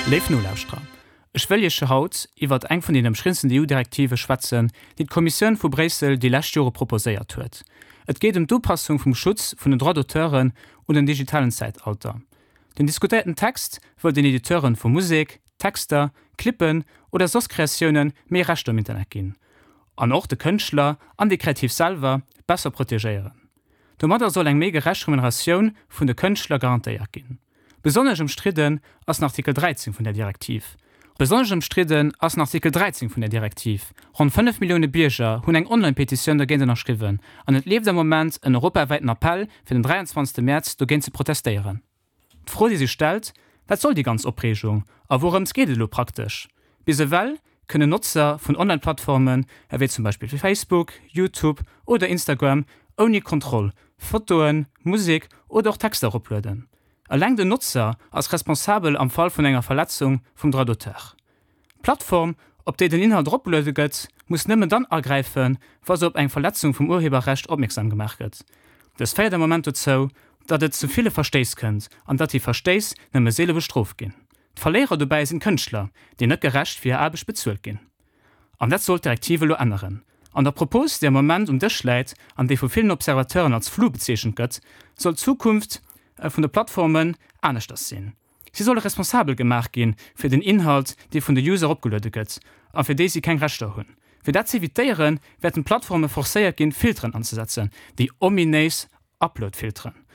Léif Nolauschterer, ech wëll Iech haut iwwert eng vun den ëmstriddensten EU-Direktive schwätzen, déi d'Kommissioun vu Bréissel déi lescht Jore proposéiert huet. Et geet ëm d'Upassung vum Schutz vun den Droits-d'auteuren un den digitalen Zäitalter. Den diskutéierten Text wëll den Editeuren vu Musek, Texter, Clippen oder soss Kreatiounen méi Rechter um Internet ginn. An och de Kënschtler an déi Kreativ selwer besser protegéieren. Domadder soll eng méi gerecht Remuneratioun vun de Kënschtler garantéiert ginn. Besonnesch ëmstridden ass den Artikel 13 vun där Direktiv. Besonnesch ëmstridden ass den Artikel 13 vun där Direktiv. Ronn 5 Millioune Bierger hunn eng Online-Petitioun dergéint ënnerschriwwen an et leeft am Moment en europawäiten Appell fir den 23 Mäerz dogéint ze protestéieren. D'Fro déi sech stellt, Wat soll déi ganz Opreegung a wourëms geet et elo praktesch? Bis ewell kënnen Notzer vun Online-Plattformen ewéi zum Beispill Facebook, YouTube oder Instagram ouni Kontroll Fotoen, Musek oder och Texter eroplueden. Eleng den Notzer ass responsabel am Fall vun enger Verletzung vum Droit d'auteur. D'Plattform, op déi den Inhalt eropgeluede gëtt, muss nëmmen dann agräifen, wa se op eng Verletzung vum Urheberrecht opmierksam gemaach gëtt. Dëst féiert am Moment dozou, datt et zu ville Verstéiss kënnt an datt déi Verstéiss nëmme seele bestrooft ginn. D'Verléierer dobäi sinn d'Kënschtler, déi net gerecht fir hir Aarbecht bezuelt ginn. An dat soll d'Direktiv elo änneren. An der Propos, déi am Moment um Dësch läit an déi vu villen Observateuren als flou bezeechent gëtt, soll d'Zukunft vun de Plattformen aneschters sinn. Si solle responsabel gemaach gi fir den Inhalt, dee vun de User eropgeluede gëtt a fir déi si keng Rechter hunn. Fir dat z'evitéieren, wäerten d'Plattforme forcéiert ginn, Filteren anzesetzen, déi ominéis Upload-Filteren.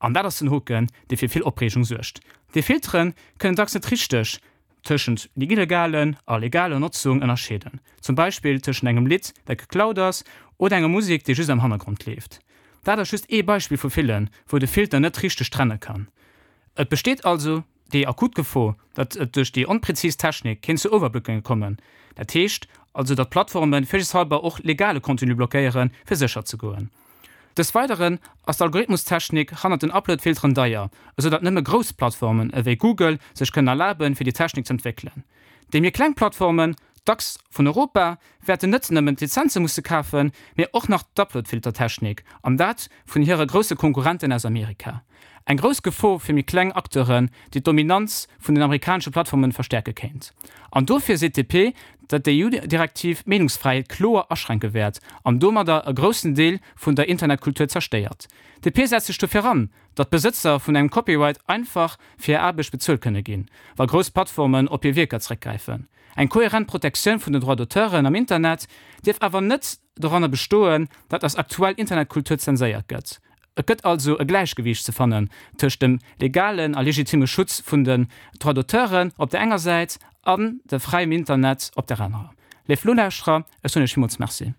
An dat ass den Hoken, dee fir vill Opreegung suergt. Déi Filtere kënnen dacks net richteg tëschent illegalen a legaler Notzung ënnerscheeden, zum Beispill tëschent engem Lidd, dat geklaut ass, oder enger Musek, déi just am Hannergrond leeft. Dat ass just ee Beispill vu villen, wou de Filter net richteg trenne kann. Et besteet also déi akut Gefor, datt et duerch déi onprezis Technik kéint zu Overbookinge kommen. Dat heescht also, datt d'Plattforme virsiichtshalber och legale Contenu blockéieren, fir sécher ze goen. Dës Weideren ass d'Algorithmustechnik hannert den Uploadfilteren deier, esou datt nëmme grouss Plattformen ewéi Google sech kënnen erlaben, fir déi Technik z'entwéckelen. Déi méi kleng Plattformen, dacks vun Europa, wäerten net nëmmen d'Lizenze musse kafen, mee och nach d'Uploadfiltertechnik, an dat vun hire grousse Konkurrenten aus Amerika. Eng grouss Gefor fir méi kleng Acteuren, déi d'Dominanz vun den amerikanesche Plattformen verstäerke kéint. An dofir seet d'DP, datt déi EU-Direktiv d'Meenungsfräiheet kloer aschränke wäert an domadder e groussen Deel vun der Internetkultur zerstéiert. D'DP setzt sech dofir an, datt d'Besëtzer vun engem Copyright einfach fir hir Aarbecht bezuelt kënne ginn, wa grouss Plattformen op hir Wierker zeréckgräifen. Eng kohärent Protektioun vun den Droits d'auteuren am Internet dierf awer net doranner bestoen, datt eis aktuell Internetkultur zenséiert gëtt. Et gëtt also e Gläichgewiicht ze fannen tëscht dem legalen a legitimme Schutz vun den Droits d'auteuren op der enger Säit an de fräiem Internet op der anerer. Léif Nolauschterer, ech soen Iech villmools Merci.